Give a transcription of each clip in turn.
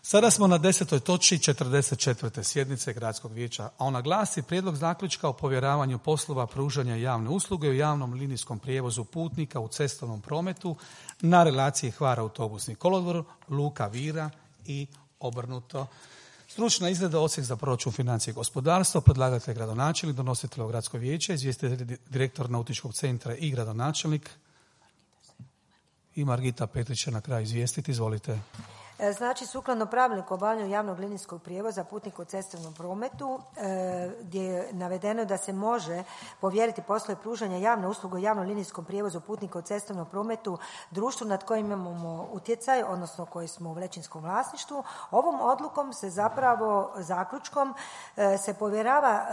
Sada smo na 10. točki 44. sjednice Gradskog vijeća, a ona glasi Prijedlog zaključka o povjeravanju poslova pružanja javne usluge u javnom linijskom prijevozu putnika u cestovnom prometu na relaciji Hvar autobusni kolodvor, Luka Vira i obrnuto. Stručna izrada Odsjek za proračun, financije i gospodarstvo, predlagatelj gradonačelnik, donositelj Gradskog vijeća, izvjestitelj direktor Nautičkog centra i gradonačelnik. I Margita Petrić će na kraju izvijestiti, izvolite. Znači, sukladno pravilniku o obavljanju javnog linijskog prijevoza putnika u cestovnom prometu, gdje je navedeno da se može povjeriti poslove pružanja javne usluge u javnom linijskom prijevozu putnika u cestovnom prometu društvu nad kojim imamo utjecaj, odnosno koji smo u većinskom vlasništvu. Ovom odlukom se zapravo, zaključkom, se povjerava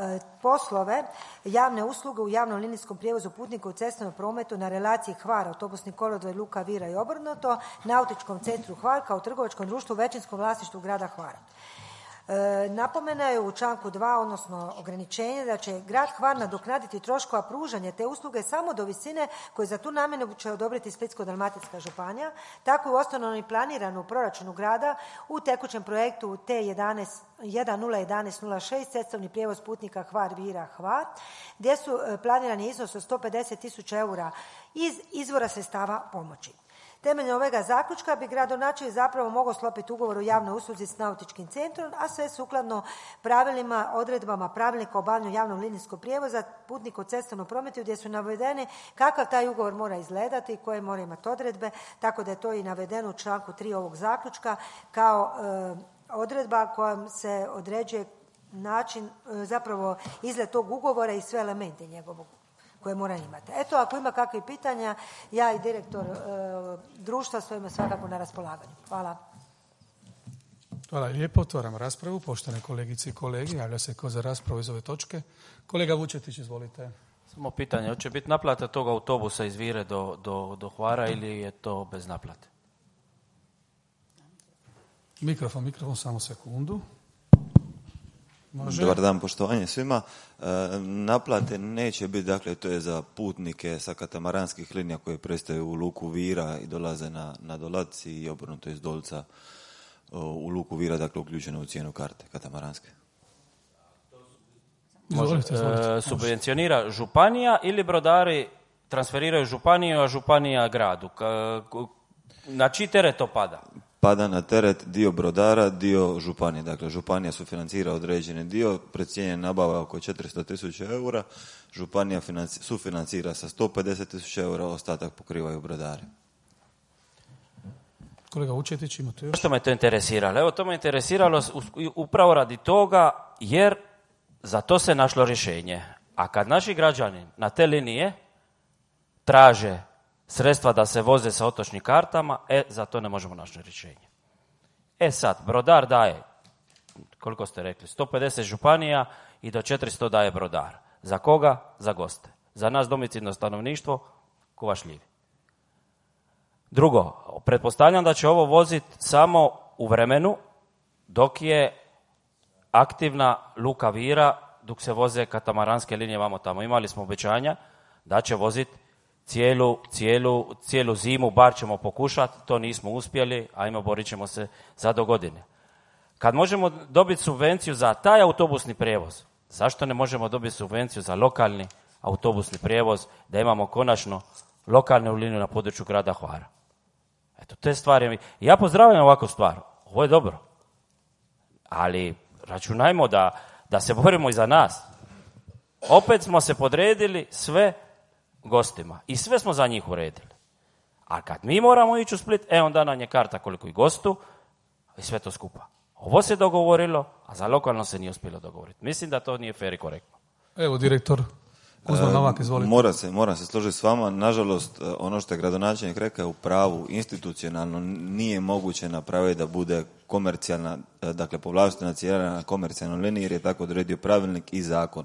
poslove javne usluge u javnom linijskom prijevozu putnika u cestovnom prometu na relaciji Hvar autobusni kolodvor, Luka Vira i obrnuto, Nautičkom centru Hvar kao trgovačkom društvu u većinskom vlasništvu grada Hvara. Napomena je u članku 2, odnosno ograničenje, da će grad Hvar nadoknaditi troškova pružanja te usluge samo do visine koje za tu namjenu će odobriti Splitsko-dalmatinska županija. Tako je osnovno i planirano u proračunu grada u tekućem projektu T101106 cestovni prijevoz putnika Hvar Vira Hvar, gdje su planirani iznos od 150.000 eura iz izvora sredstava pomoći. Temeljem ovega zaključka bi gradonačelnik zapravo mogao sklopiti ugovor o javnoj usluzi s nautičkim centrom, a sve sukladno pravilima, odredbama pravilnika o obavljanju javnog linijskog prijevoza putnika u cestovnom prometu, gdje su navedeni kakav taj ugovor mora izgledati i koje mora imati odredbe, tako da je to i navedeno u članku 3 ovog zaključka kao odredba kojom se određuje način, zapravo izgled tog ugovora i sve elemente njegovog koje mora imati. Eto, ako ima kakvih pitanja, ja i direktor društva stojimo svakako na raspolaganju. Hvala. Hvala lijepo. Otvaramo raspravu. Poštovane kolegice i kolege, javlja se ko za raspravu iz ove točke. Kolega Vučetić, izvolite. Samo pitanje, hoće biti naplata tog autobusa iz Vire do Hvara ili je to bez naplate? Mikrofon, samo sekundu. Može. Dobar dan, poštovanje svima. Naplate neće biti, dakle, to je za putnike sa katamaranskih linija koje prestaju u Luku Vira i dolaze na Dolac i obrnuto iz Dolca u Luku Vira, dakle, uključeno u cijenu karte katamaranske. Izvolite. Subvencionira županija ili brodari transferiraju županiju, a županija gradu? Na čiji teret to pada? Pada na teret dio brodara, dio županije. Dakle, županija sufinancira određeni dio, precijenjen nabava oko 400.000 eura, županija sufinancira sa 150.000 eura, ostatak pokrivaju brodari. Kolega Vučetić, imate još? Što me to interesiralo? Evo, to me interesiralo upravo radi toga, jer za to se našlo rješenje. A kad naši građani na te linije traže sredstva da se voze sa otočnim kartama, za to ne možemo naći rješenje. Sad, brodar daje, koliko ste rekli, 150 županija i do 400 daje brodar. Za koga? Za goste. Za nas domicilno stanovništvo, kovašljivi. Drugo, pretpostavljam da će ovo voziti samo u vremenu dok je aktivna Luka Vira, dok se voze katamaranske linije vamo tamo. Imali smo obećanja da će voziti cijelu zimu, bar ćemo pokušati, to nismo uspjeli, ajmo, borit ćemo se za do godine. Kad možemo dobiti subvenciju za taj autobusni prijevoz, zašto ne možemo dobiti subvenciju za lokalni autobusni prijevoz, da imamo konačno lokalnu liniju na području grada Hvara? Eto, te stvari. Ja pozdravljam ovakvu stvar, ovo je dobro, ali računajmo da se borimo i za nas. Opet smo se podredili sve gostima i sve smo za njih uredili. A kad mi moramo ići u Split, onda nam je karta koliko i gostu i sve to skupa. Ovo se dogovorilo, a za lokalno se nije uspjelo dogovoriti. Mislim da to nije fair i korektno. Evo, direktor Kuzma Novak, izvolite. Moram se složiti s vama. Nažalost, ono što je gradonačelnik rekao u pravu, institucionalno nije moguće napraviti da bude komercijalna, dakle povlaštena cijena na komercijalnoj liniji, jer je tako odredio pravilnik i zakon.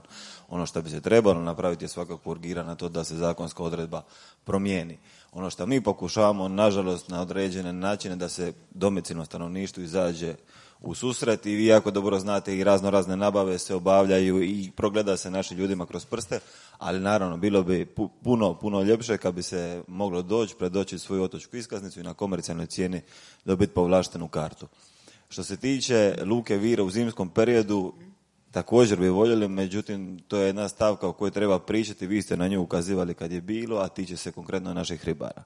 Ono što bi se trebalo napraviti je svakako urgirati na to da se zakonska odredba promijeni. Ono što mi pokušavamo, nažalost, na određene načine da se domicilno stanovništvu izađe u susret, i vi jako dobro znate i razne nabave se obavljaju i progleda se našim ljudima kroz prste, ali naravno bilo bi puno ljepše kad bi se moglo predoći svoju otočku iskaznicu i na komercijalnoj cijeni dobiti povlaštenu kartu. Što se tiče luke Vira u zimskom periodu, također bi voljeli, međutim, to je jedna stavka o kojoj treba pričati, vi ste na nju ukazivali kad je bilo, a tiče se konkretno naših ribara.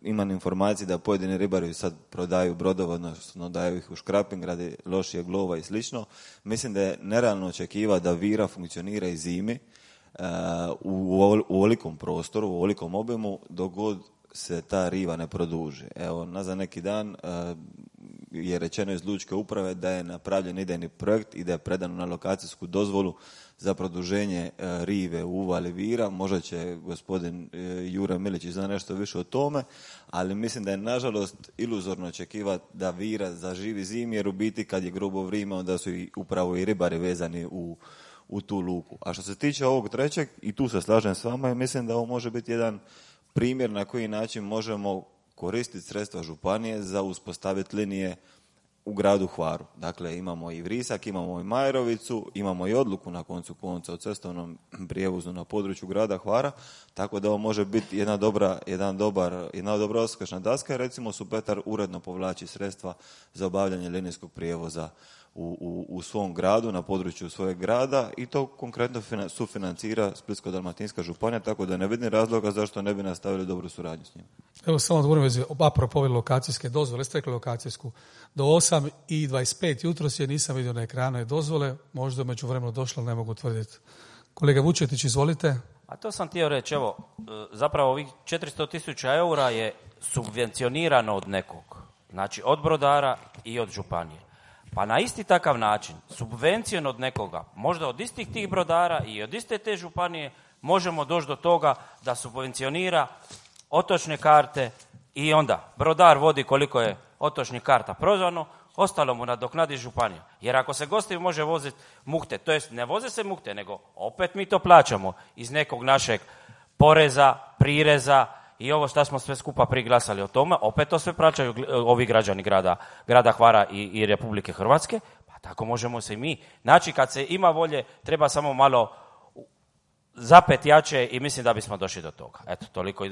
Imam informacije da pojedini ribari sad prodaju brodove, odnosno daju ih u škraping radi lošijeg lova i slično. Mislim da je nerealno očekivati da Vira funkcionira i zimi u ovolikom prostoru, u ovolikom obimu, dok god se ta riva ne produži. Evo, nazad neki dan je rečeno iz Lučke uprave da je napravljen idejni projekt i da je predano na lokacijsku dozvolu za produženje rive u uvali Vira. Možda će gospodin Jure Milić zna nešto više o tome, ali mislim da je nažalost iluzorno očekivati da Vira zaživi zimi, jer u biti kad je grubo vrijeme onda su upravo i ribari vezani u tu luku. A što se tiče ovog trećeg, i tu se slažem s vama, mislim da ovo može biti jedan primjer na koji način možemo koristiti sredstva županije za uspostaviti linije u gradu Hvaru. Dakle, imamo i Vrisak, imamo i Majerovicu, imamo i odluku na koncu konca o cestovnom prijevozu na području grada Hvara, tako da ovo može biti jedna dobra odskočna daska. Recimo, Supetar uredno povlači sredstva za obavljanje linijskog prijevoza u svom gradu, na području svojeg grada, i to konkretno sufinancira Splitsko-dalmatinska županija, tako da ne vidim razloga zašto ne bi nastavili dobru suradnju s njim. Evo samo odgovorim vezi, apropo ove lokacijske dozvole, ste rekli lokacijsku. Do 8:25 jutros je nisam vidio na ekranu dozvole, možda među vremenu došlo, ne mogu tvrditi. Kolega Vučetić, izvolite. A to sam htio reći, evo, zapravo ovih 400.000 eura je subvencionirano od nekog, znači od brodara i od županije. Pa na isti takav način, subvencijom od nekoga, možda od istih tih brodara i od iste te županije, možemo doći do toga da subvencionira otočne karte i onda brodar vodi koliko je otočnih karta prodano, ostalo mu nadoknadi županija. Jer ako se gosti može voziti mukte, to jest ne voze se mukte, nego opet mi to plaćamo iz nekog našeg poreza, prireza i ovo što smo sve skupa priglasali o tome, opet to sve plaćaju ovi građani grada Hvara i Republike Hrvatske, pa tako možemo se i mi. Znači, kad se ima volje, treba samo malo zapet jače i mislim da bismo došli do toga. Eto, toliko.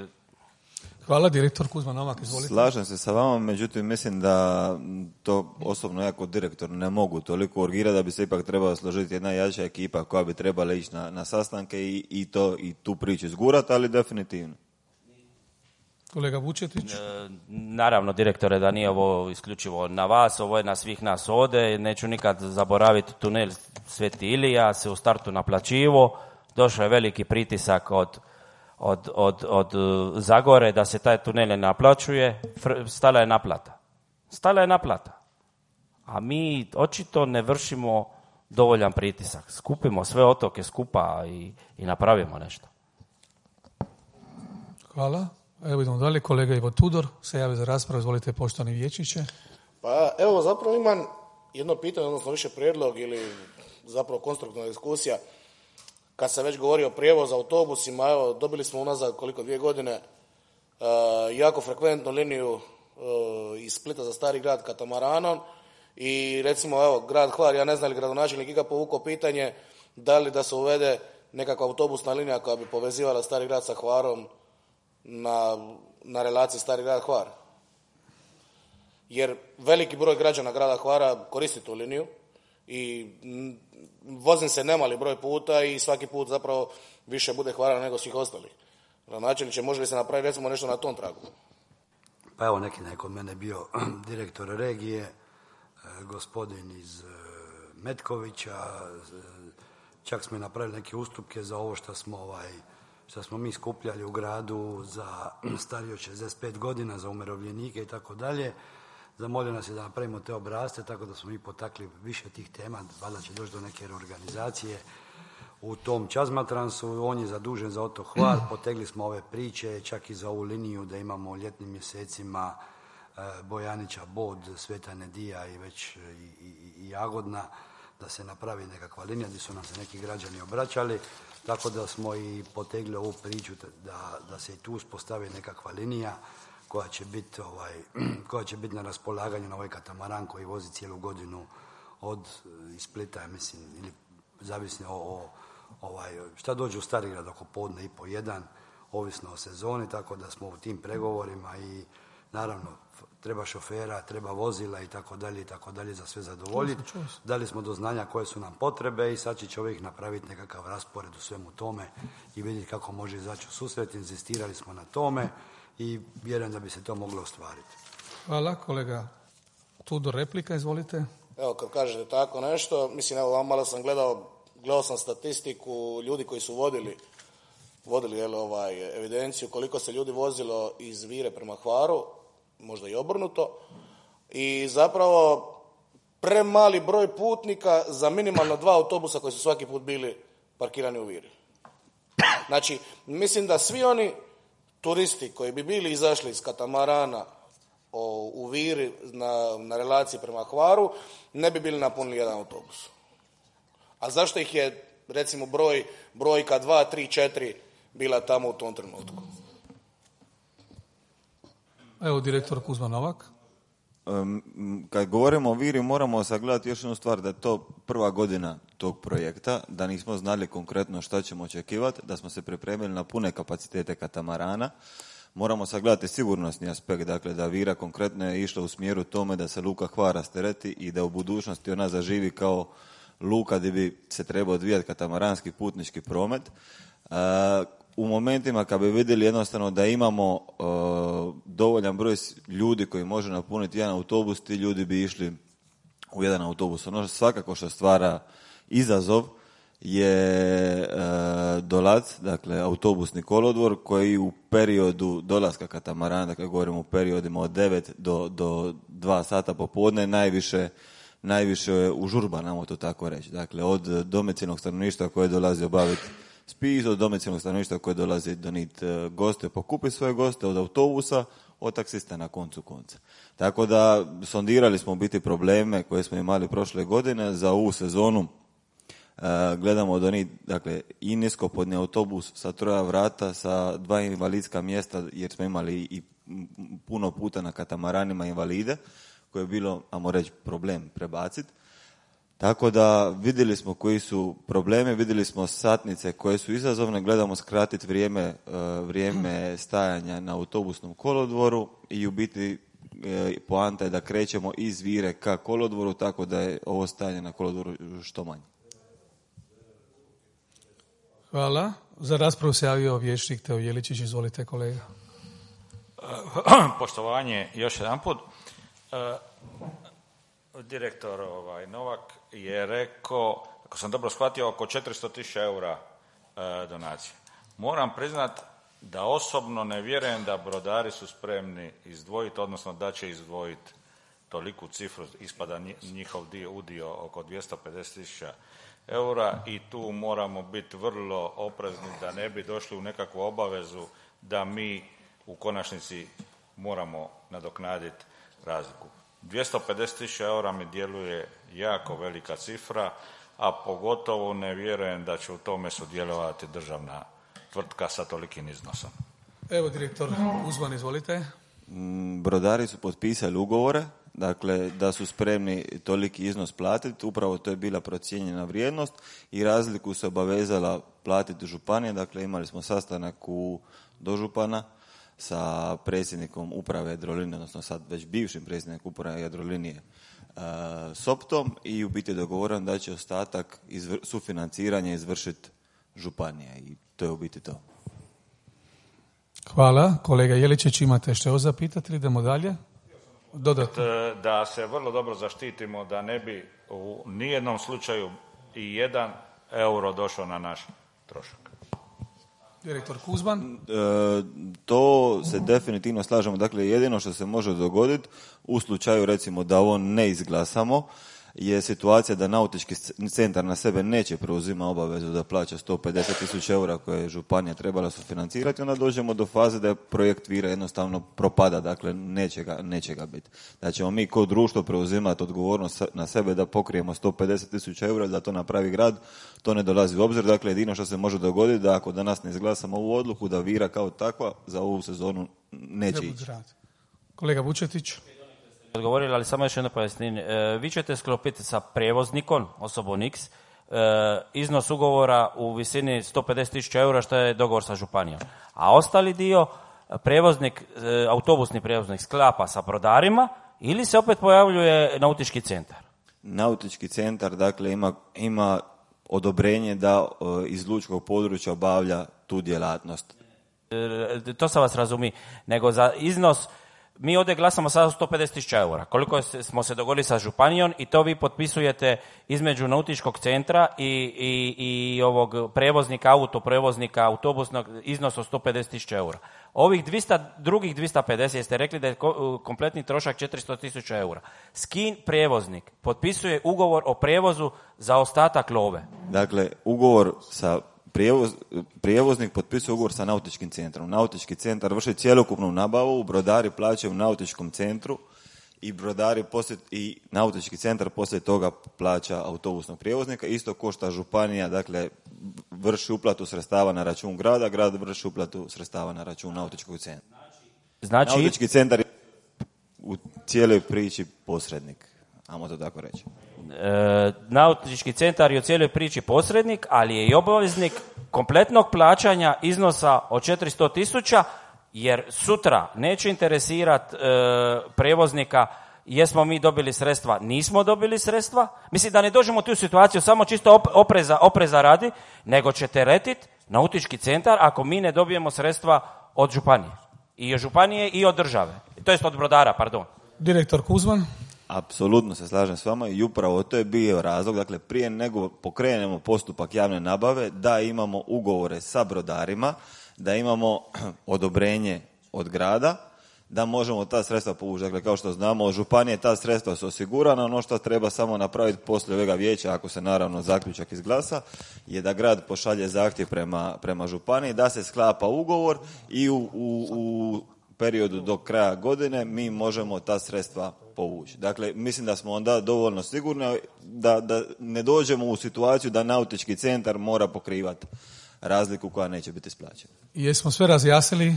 Hvala, direktor Kuzma Novak, izvolite. Slažem se sa vama, međutim mislim da to osobno ja kao direktor ne mogu toliko urgirati, da bi se ipak trebala složiti jedna jača ekipa koja bi trebala ići na sastanke i tu priču izgurati, ali definitivno. Kolega Vučetić. Naravno, direktore, da nije ovo isključivo na vas, ovo je na svih nas ovdje. Neću nikad zaboraviti tunel Sveti Ilija, se u startu naplaćivo. Došao je veliki pritisak od Zagore da se taj tunel ne naplaćuje. Stala je naplata. A mi očito ne vršimo dovoljan pritisak. Skupimo sve otoke skupa i napravimo nešto. Hvala. Evo idemo dalje, kolega Ivo Tudor se javi za raspravu, izvolite poštovani vijećniče. Pa evo, zapravo imam jedno pitanje, odnosno više prijedlog ili zapravo konstruktivna diskusija. Kad se već govori o prijevozu autobusima, evo, dobili smo unazad 2 godine jako frekventnu liniju iz Splita za Stari grad katamaranom i recimo, evo, grad Hvar, ja ne znam li gradonačelnik ikad povukao pitanje da li da se uvede nekakva autobusna linija koja bi povezivala Stari grad sa Hvarom na relaciji Stari grad Hvar. Jer veliki broj građana grada Hvara koristi tu liniju i vozim se nemali broj puta i svaki put zapravo više bude Hvara nego svih ostalih. Gradonačelniče, može li se napraviti recimo nešto na tom tragu? Pa evo, neki dan je kod mene bio direktor regije, gospodin iz Metkovića, čak smo i napravili neke ustupke za ovo što smo mi skupljali u gradu za starije od 65 godina, za umirovljenike i tako dalje. Zamolio nas je da napravimo te obrasce, tako da smo mi potakli više tih tema, valjda će doći do neke reorganizacije u tom Čazmatransu. On je zadužen za otok Hvar, potegli smo ove priče, čak i za ovu liniju da imamo u ljetnim mjesecima Bojanića, Bod, Sveta Nedija i već i Jagodna, da se napravi nekakva linija gdje su nam se neki građani obraćali, tako da smo i potegli ovu priču da se i tu uspostavi nekakva linija koja će biti na raspolaganju na ovaj katamaran koji vozi cijelu godinu od Splita, mislim, ili zavisno šta dođe u Starigrad oko podne i po jedan, ovisno o sezoni, tako da smo u tim pregovorima i naravno, treba šofera, treba vozila i tako dalje za sve zadovoljiti. Dali smo do znanja koje su nam potrebe i sad će čovjek napraviti nekakav raspored u svemu tome i vidjeti kako može izaći u susret. Inzistirali smo na tome i vjerujem da bi se to moglo ostvariti. Hvala, kolega Tudor, replika, izvolite. Evo, kad kažete tako nešto, mislim, evo, malo sam gledao sam statistiku ljudi koji su vodili evidenciju koliko se ljudi vozilo iz Vire prema Hvaru, možda i obrnuto, i zapravo premali broj putnika za minimalno 2 autobusa koji su svaki put bili parkirani u Viri. Znači, mislim da svi oni turisti koji bi bili izašli iz katamarana u Viri na relaciji prema Hvaru, ne bi bili napunili jedan autobus. A zašto ih je, recimo, brojka 2, 3, 4 bila tamo u tom trenutku? Evo, direktor Kuzma Novak. Kad govorimo o Viri, moramo sagledati još jednu stvar, da je to prva godina tog projekta, da nismo znali konkretno šta ćemo očekivati, da smo se pripremili na pune kapacitete katamarana. Moramo sagledati sigurnosni aspekt, dakle da Vira konkretno je išla u smjeru tome da se luka Hvar rastereti i da u budućnosti ona zaživi kao luka gdje bi se trebao odvijati katamaranski putnički promet. U momentima kad bi vidjeli jednostavno da imamo dovoljan broj ljudi koji može napuniti jedan autobus, ti ljudi bi išli u jedan autobus. Ono svakako što stvara izazov je Dolac, dakle autobusni kolodvor koji u periodu dolaska katamarana, dakle govorimo u periodima od 9 do 2 sata popodne, najviše je užurba, namo to tako reći. Dakle, od domicilnog stanovništva koje dolazi obaviti spis, od domicilnog stanovništva koje dolazi doniti goste, pokupi svoje goste, od autobusa, od taksista na koncu konca. Tako da sondirali smo u biti probleme koje smo imali prošle godine za ovu sezonu. Gledamo donijeti, dakle, i niskopodni autobus sa 3 vrata, sa 2 invalidska mjesta, jer smo imali i puno puta na katamaranima invalide, koje je bilo, ajmo reći, problem prebaciti. Tako da vidjeli smo koji su problemi, vidjeli smo satnice koje su izazovne, gledamo skratiti vrijeme stajanja na autobusnom kolodvoru i u biti poanta je da krećemo iz Vire ka kolodvoru, tako da je ovo stajanje na kolodvoru što manje. Hvala. Za raspravu se javio vijećnik Teo Jeličić. Izvolite, kolega. Poštovanje još jedan put. Direktor Novak je rekao, ako sam dobro shvatio, oko 400.000 eura donacije. Moram priznat da osobno ne vjerujem da brodari su spremni izdvojiti, odnosno da će izdvojiti toliku cifru, ispada njihov udio oko 250.000 eura i tu moramo biti vrlo oprezni da ne bi došli u nekakvu obavezu da mi u konačnici moramo nadoknaditi razliku. 250.000 eura mi djeluje jako velika cifra, a pogotovo ne vjerujem da će u tome sudjelovati državna tvrtka sa tolikim iznosom. Evo, direktor Uzman, izvolite. Brodari su potpisali ugovore, dakle da su spremni toliki iznos platiti, upravo to je bila procijenjena vrijednost i razliku se obavezala platiti županije, dakle imali smo sastanak u dožupana sa predsjednikom uprave Jadrolinije, odnosno sad već bivšim predsjednikom uprave Jadrolinije Soptom i u biti je dogovoreno da će ostatak sufinanciranja izvršiti županija i to je u biti to. Hvala. Kolega Jeličić, imate što zapitati? Idemo dalje. Dodatno. Da se vrlo dobro zaštitimo, da ne bi u nijednom slučaju i 1 euro došao na naš trošak. Direktor Kuzman. To se definitivno slažemo. Dakle, jedino što se može dogoditi u slučaju recimo da ovo ne izglasamo je situacija da nautički centar na sebe neće preuzima obavezu da plaća 150.000 eura koje je županija trebala sufinancirati, onda dođemo do faze da je projekt Vira jednostavno propada, dakle neće ga biti. Da ćemo mi kao društvo preuzimati odgovornost na sebe da pokrijemo 150.000 eura, da to napravi grad, to ne dolazi u obzir. Dakle, jedino što se može dogoditi da ako danas ne izglasamo ovu odluku, da Vira kao takva za ovu sezonu neće ići. Kolega Vučetić. Odgovorili, ali samo još jedno pojašnjenje. Vi ćete sklopiti sa prijevoznikom, osobom X, iznos ugovora u visini 150.000 eura što je dogovor sa županijom. A ostali dio prijevoznik, autobusni prijevoznik sklapa sa brodarima ili se opet pojavljuje nautički centar? Nautički centar, dakle, ima odobrenje da iz lučkog područja obavlja tu djelatnost. To sam vas razumi, nego za iznos, mi ovdje glasamo sada 150.000 eura, koliko smo se dogovorili sa županijom i to vi potpisujete između nautičkog centra i ovog prevoznika, autoprevoznika, autobusnog, iznos od 150.000 eura. Ovih drugih 250, jeste rekli da je kompletni trošak 400.000 eura. S kim prijevoznik potpisuje ugovor o prijevozu za ostatak love? Dakle, ugovor sa prijevoznik potpisuje ugovor sa nautičkim centrom. Nautički centar vrši cjelokupnu nabavu, brodari plaćaju u nautičkom centru i nautički centar poslije toga plaća autobusnog prijevoznika. Isto košta županija, dakle, vrši uplatu sredstava na račun grada, grad vrši uplatu sredstava na račun nautičkog centra. Znači, nautički centar je u cijeloj priči posrednik, ajmo to tako reći. Nautički centar je u cijeloj priči posrednik, ali je i obaveznik kompletnog plaćanja iznosa od 400.000, jer sutra neće interesirati prijevoznika jesmo mi dobili sredstva, nismo dobili sredstva. Mislim da ne dođemo u tu situaciju samo čisto opreza radi, nego će teretiti nautički centar ako mi ne dobijemo sredstva od županije. I od županije i od države. To jest od brodara, pardon. Direktor Kuzman. Apsolutno se slažem s vama i upravo to je bio razlog, dakle prije nego pokrenemo postupak javne nabave, da imamo ugovore sa brodarima, da imamo odobrenje od grada, da možemo ta sredstva povući. Dakle, kao što znamo, od županije ta sredstva su osigurana, ono što treba samo napraviti poslije ovega vijeća, ako se naravno zaključak izglasa, je da grad pošalje zahtjev prema županiji, da se sklapa ugovor i u periodu do kraja godine mi možemo ta sredstva povući. Dakle, mislim da smo onda dovoljno sigurni da ne dođemo u situaciju da nautički centar mora pokrivati razliku koja neće biti isplaćena. Jesmo sve razjasnili?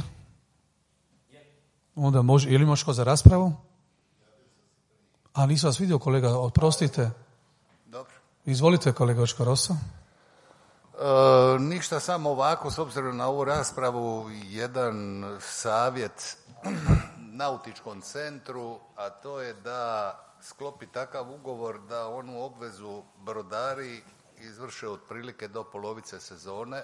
Onda može, ili možeš za raspravu? A nisam vas vidio, kolega, oprostite. Dobro. Izvolite, kolega Očko-Rosa. Ništa, samo ovako, s obzirom na ovu raspravu, jedan savjet nautičkom centru, a to je da sklopi takav ugovor da onu obvezu brodari izvrše otprilike do polovice sezone,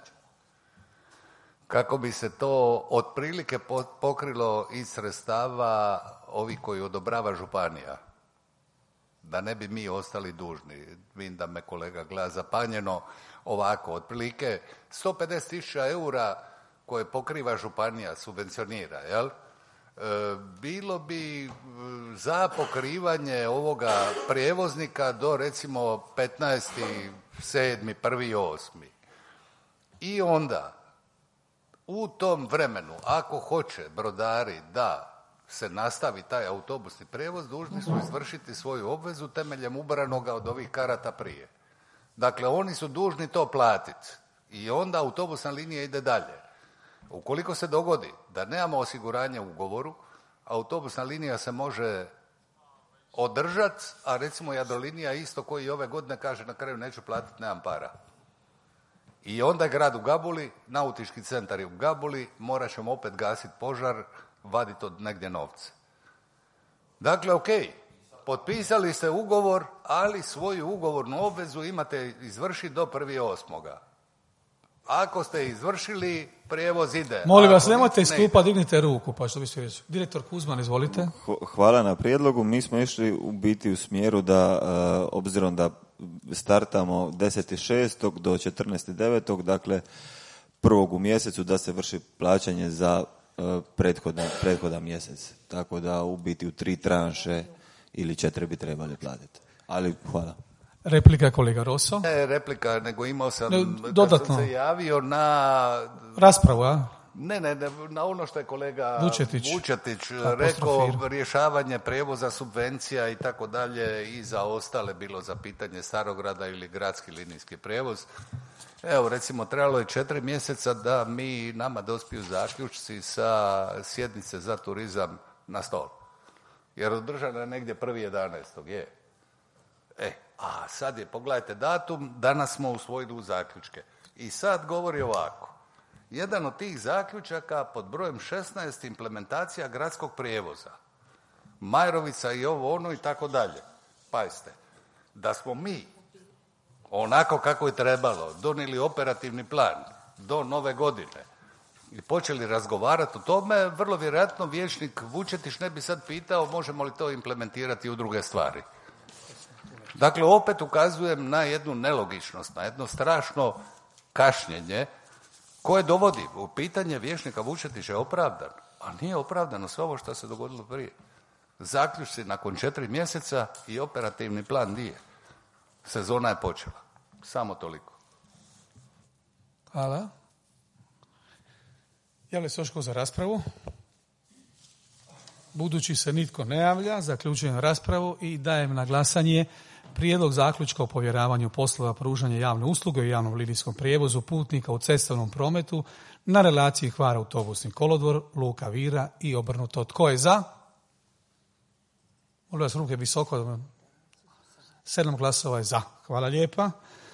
kako bi se to otprilike pokrilo iz sredstava ovih koji odobrava županija. Da ne bi mi ostali dužni. Vidim da me kolega gleda zapanjeno. Ovako, otprilike 150.000 eura koje pokriva županija, subvencionira, jel? Bilo bi za pokrivanje ovoga prijevoznika do recimo 15.7., 1.8. I onda u tom vremenu, ako hoće brodari da se nastavi taj autobusni prijevoz, dužni su izvršiti svoju obvezu temeljem ubranoga od ovih karata prije. Dakle, oni su dužni to platiti i onda autobusna linija ide dalje. Ukoliko se dogodi da nemamo osiguranje u ugovoru, autobusna linija se može održati, a recimo Jadrolinija isto koji ove godine kaže na kraju neću platiti, nemam para. I onda je grad u gabuli, nautički centar je u gabuli, morat ćemo opet gasiti požar, vaditi od negdje novce. Dakle, ok, potpisali ste ugovor, ali svoju ugovornu obvezu imate izvršiti do 1.8. Ako ste izvršili, prijevoz ide. Molim vas, nemojte iz klupa, dignite ruku, pa što bi se reći. Direktor Kuzman, izvolite. Hvala na prijedlogu. Mi smo išli u biti u smjeru da, obzirom da startamo 10.6. do 14.9., dakle prvog u mjesecu, da se vrši plaćanje za prethodan mjesec. Tako da u biti u 3 tranše ili 4 bi trebali platiti. Ali hvala. Replika kolega Rosso. Ne replika, nego imao sam, dodatno. kad sam se javio na raspravu, a? Ne, na ono što je kolega Vučetić rekao, rješavanje prijevoza, subvencija i tako dalje i za ostale, bilo za pitanje Starograda ili gradski linijski prijevoz. Evo, recimo, trebalo je 4 mjeseca da nama dospiju zaključci sa sjednice za turizam na stol. Jer održana je negdje 1.11. je. A sad je, pogledajte datum, danas smo usvojili u zaključke. I sad govori ovako. Jedan od tih zaključaka pod brojem 16 implementacija gradskog prijevoza. Majrovica i ovo ono i tako dalje. Pazite, da smo mi onako kako je trebalo donijeli operativni plan do nove godine i počeli razgovarati o tome, vrlo vjerojatno vijećnik Vučetić ne bi sad pitao možemo li to implementirati u druge stvari. Dakle, opet ukazujem na jednu nelogičnost, na jedno strašno kašnjenje koje dovodi u pitanje vijećnika Vučetića je opravdan, a nije opravdano sve ovo što se dogodilo prije. Zaključci nakon 4 mjeseca i operativni plan nije. Sezona je počela. Samo toliko. Hvala. Javlja se još tko za raspravu? Budući se nitko ne javlja, zaključujem raspravu i dajem na glasanje prijedlog zaključka o povjeravanju poslova pružanja javne usluge u javnom linijskom prijevozu putnika u cestovnom prometu na relaciji Hvar autobusni kolodvor, Luka Vira i obrnuto. Tko je za? Molim vas ruke visoko. 7 glasova je za. Hvala lijepa.